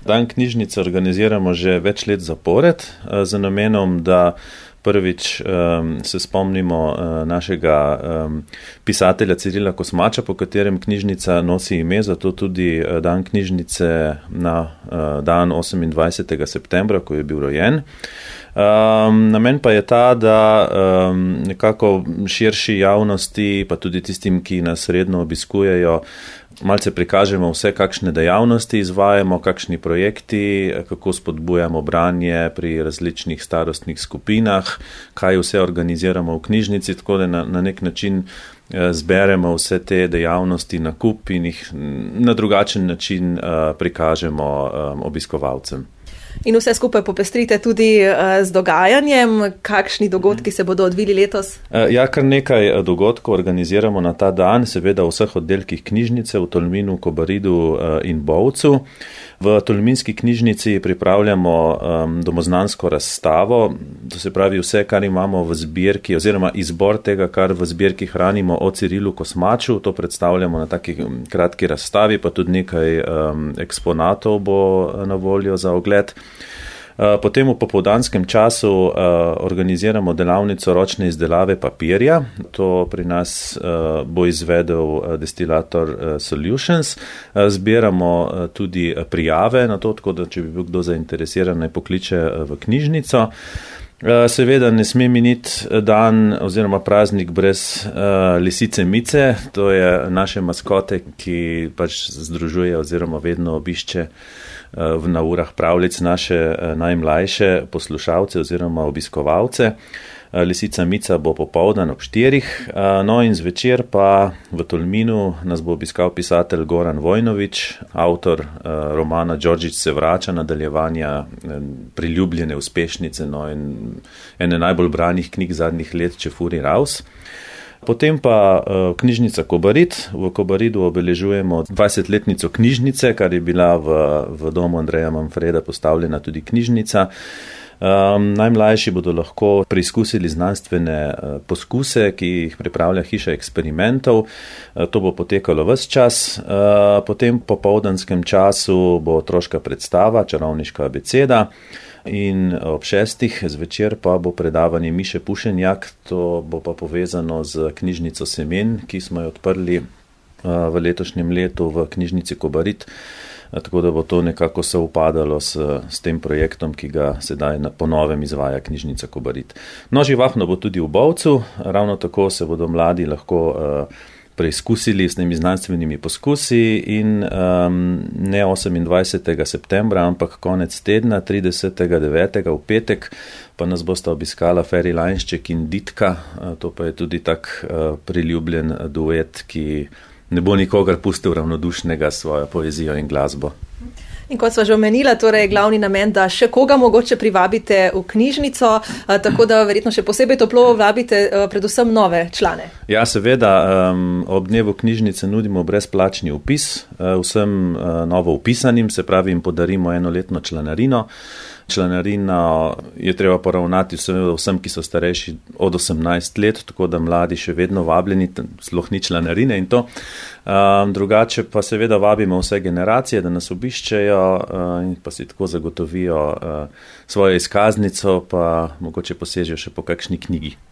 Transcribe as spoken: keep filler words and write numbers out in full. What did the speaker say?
Dan knjižnice organiziramo že več let zapored z namenom, da prvič um, se spomnimo uh, našega um, pisatelja Cirila Kosmača, po katerem knjižnica nosi ime, zato tudi uh, dan knjižnice na uh, dan osemindvajsetega septembra, ko je bil rojen. Um, namen pa je ta, da um, nekako širši javnosti, pa tudi tistim, ki nas redno obiskujejo, malce prikažemo vse, kakšne dejavnosti izvajamo, kakšni projekti, kako spodbujamo branje pri različnih starostnih skupinah, kaj vse organiziramo v knjižnici, tako da na, na nek način zberemo vse te dejavnosti na kup in jih na drugačen način uh, prikažemo um, obiskovalcem. In vse skupaj popestrite tudi z dogajanjem. Kakšni dogodki se bodo odvili letos? Ja, kar nekaj dogodkov organiziramo na ta dan, seveda v vseh oddelkih knjižnice v Tolminu, Kobaridu in Bovcu. V Tolminski knjižnici pripravljamo um, domoznansko razstavo, to se pravi vse, kar imamo v zbirki, oziroma izbor tega, kar v zbirki hranimo o Cirilu Kosmaču, to predstavljamo na taki kratki razstavi, pa tudi nekaj um, eksponatov bo na voljo za ogled. Potem v popoldanskem času uh, organiziramo delavnico ročne izdelave papirja. To pri nas uh, bo izvedel uh, destilator uh, Solutions. Uh, zbiramo uh, tudi prijave na to, tako da če bi bil kdo zainteresiran, naj pokliče uh, v knjižnico. Seveda ne sme miniti dan oziroma praznik brez uh, lisice Mice, to je naše maskote, ki pač združuje oziroma vedno obišče uh, na urah pravljic naše uh, najmlajše poslušalce oziroma obiskovalce. Uh, lisica Mica bo popoldan ob štirih, uh, no in zvečer pa v Tolminu nas bo obiskal pisatelj Goran Vojnović, avtor uh, romana Đorđić se vrača, nadaljevanja uh, priljubljene uspešnice, no in ene najbolj branih knjig zadnjih let Čefuri Raus. Potem pa uh, knjižnica Kobarid. V Kobaridu obeležujemo dvajsetletnico knjižnice, kar je bila v, v domu Andreja Manfreda postavljena tudi knjižnica. Um, najmlajši bodo lahko preizkusili znanstvene uh, poskuse, ki jih pripravlja hiša eksperimentov. Uh, to bo potekalo ves čas. Uh, potem po popoldanskem času bo otroška predstava, čarovniška abeceda. In ob šestih zvečer pa bo predavanje Miše Pušenjak, to bo pa povezano z knjižnico Semen, ki smo jo odprli uh, v letošnjem letu v knjižnici Kobarid. Tako da bo to nekako se upadalo s, s tem projektom, ki ga sedaj na ponovem izvaja knjižnica Kobarid. No, živahno bo tudi v Bovcu, ravno tako se bodo mladi lahko uh, preizkusili s temi znanstvenimi poskusi in um, ne osemindvajsetega septembra, ampak konec tedna, tridesetega devetega v petek, pa nas bosta obiskala Feri Lajnšček in Ditka, uh, to pa je tudi tak uh, priljubljen duet, ki ne bo nikogar pustil ravnodušnega s svojo poezijo in glasbo. In kot sva že omenila, torej je glavni namen, da še koga mogoče privabite v knjižnico, tako da verjetno še posebej toplo vabite predvsem nove člane. Ja, seveda, um, ob dnevu knjižnice nudimo brezplačni vpis vsem uh, novo vpisanim, se pravi jim podarimo enoletno članarino. Članarina je treba poravnati vsem, ki so starejši od osemnajst let, tako da mladi še vedno vabljeni, sploh ni članarine in to. Um, drugače pa seveda vabimo vse generacije, da nas obiščejo uh, in pa si tako zagotovijo uh, svojo izkaznico, pa mogoče posežejo še po kakšni knjigi.